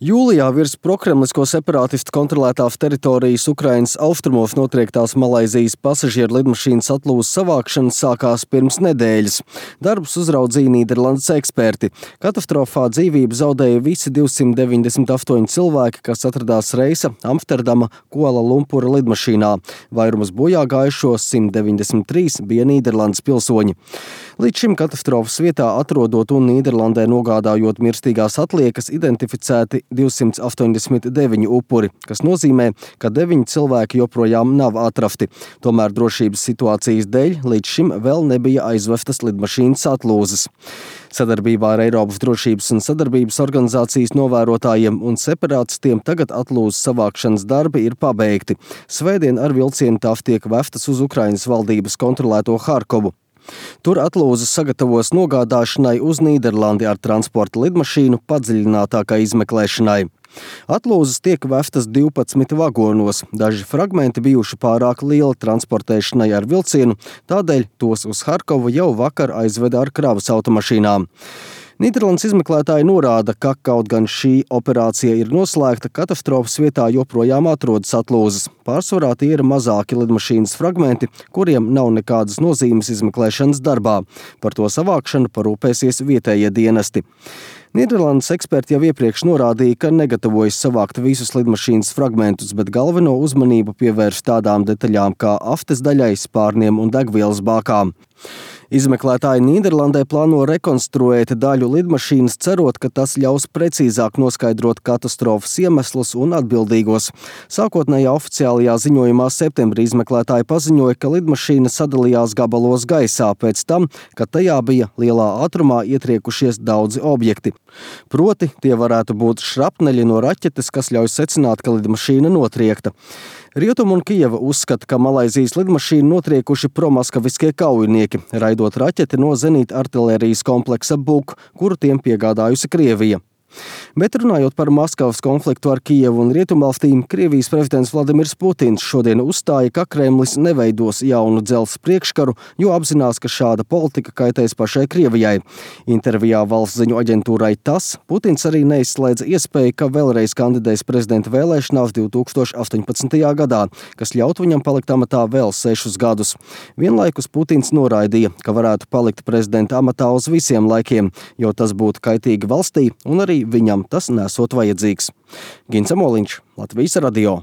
Jūlijā virs prokremlisko separātistu kontrolētās teritorijas Ukrainas austrumos notriektās Malaizijas pasažieru lidmašīnas atlūzas savākšana sākās pirms nedēļas. Darbus uzraudzīja Nīderlandes eksperti. Katastrofā dzīvību zaudēja visi 298 cilvēki, kas atradās reisa Amsterdama Kuala Lumpura lidmašīnā. Vairums bojā gājušo 193 bija Nīderlandes pilsoņi. Līdz šim katastrofas vietā atrodot un Nīderlandē nogādājot mirstīgās atliekas identificēti 289 upuri, kas nozīmē, ka 9 cilvēki joprojām nav atrasti. Tomēr drošības situācijas dēļ līdz šim vēl nebija aizvestas lidmašīnas atlūzas. Sadarbībā ar Eiropas drošības un sadarbības organizācijas novērotājiem un separātistiem tagad atlūzas savākšanas darbi ir pabeigti. Svētdien ar vilcienu tās tiek vestas uz Ukrainas valdības kontrolēto Harkovu. Tur atlūzas sagatavos nogādāšanai uz Nīderlandi ar transporta lidmašīnu padziļinātākai izmeklēšanai. Atlūzas tiek vestas 12 vagonos. Daži fragmenti bijuši pārāk lieli transportēšanai ar vilcienu, tādēļ tos uz Harkovu jau vakar aizveda ar kravas automašīnām. Nīderlandes izmeklētāji norāda, ka kaut gan šī operācija ir noslēgta, katastrofas vietā joprojām atrodas atlūzas. Pārsvarā tie ir mazāki lidmašīnas fragmenti, kuriem nav nekādas nozīmes izmeklēšanas darbā. Par to savākšanu parūpēsies vietējie dienesti. Nīderlandes eksperti jau iepriekš norādīja, ka negatavojas savākt visus lidmašīnas fragmentus, bet galveno uzmanību pievērš tādām detaļām kā aftes daļai, spārniem un degvielas bākām. Izmeklētāji Nīderlandē plāno rekonstruēt daļu lidmašīnas, cerot, ka tas ļaus precīzāk noskaidrot katastrofas iemeslus un atbildīgos. Sākotnējā oficiālajā ziņojumā septembrī izmeklētāji paziņoja, ka lidmašīna sadalījās gabalos gaisā pēc tam, kad tajā bija lielā ātrumā ietriekušies daudzi objekti. Proti, tie varētu būt šrapneļi no raķetes, kas ļauj secināt, ka lidmašīna notriekta. Rietuma un Kijeva uzskata, ka Malaizijas lidmašīnu notriekuši promaskaviskie kaujinieki, raidot raķeti no zenīta artilērijas kompleksa Buk, kuru tiem piegādājusi Krievija. Bet runājot par Maskavas konfliktu ar Kijevu un Rietumvalstīm, Krievijas prezidents Vladimirs Putins šodien uzstāja, ka Kremlis neveidos jaunu dzelzs priekškaru, jo apzinās, ka šāda politika kaitēs pašai Krievijai. Intervijā valsts ziņu aģentūrai TASS Putins arī neizslēdz iespēju, ka vēlreiz kandidēs prezidenta vēlēšanās 2018. gadā, kas ļautu viņam palikt amatā vēl 6 gadus. Vienlaikus Putins noraidīja, ka varētu palikt prezidenta amatā uz visiem laikiem, jo tas būtu kaitīgi valstī un arī viņam tas nesot vajadzīgs. Gins Amoliņš, Latvijas radio.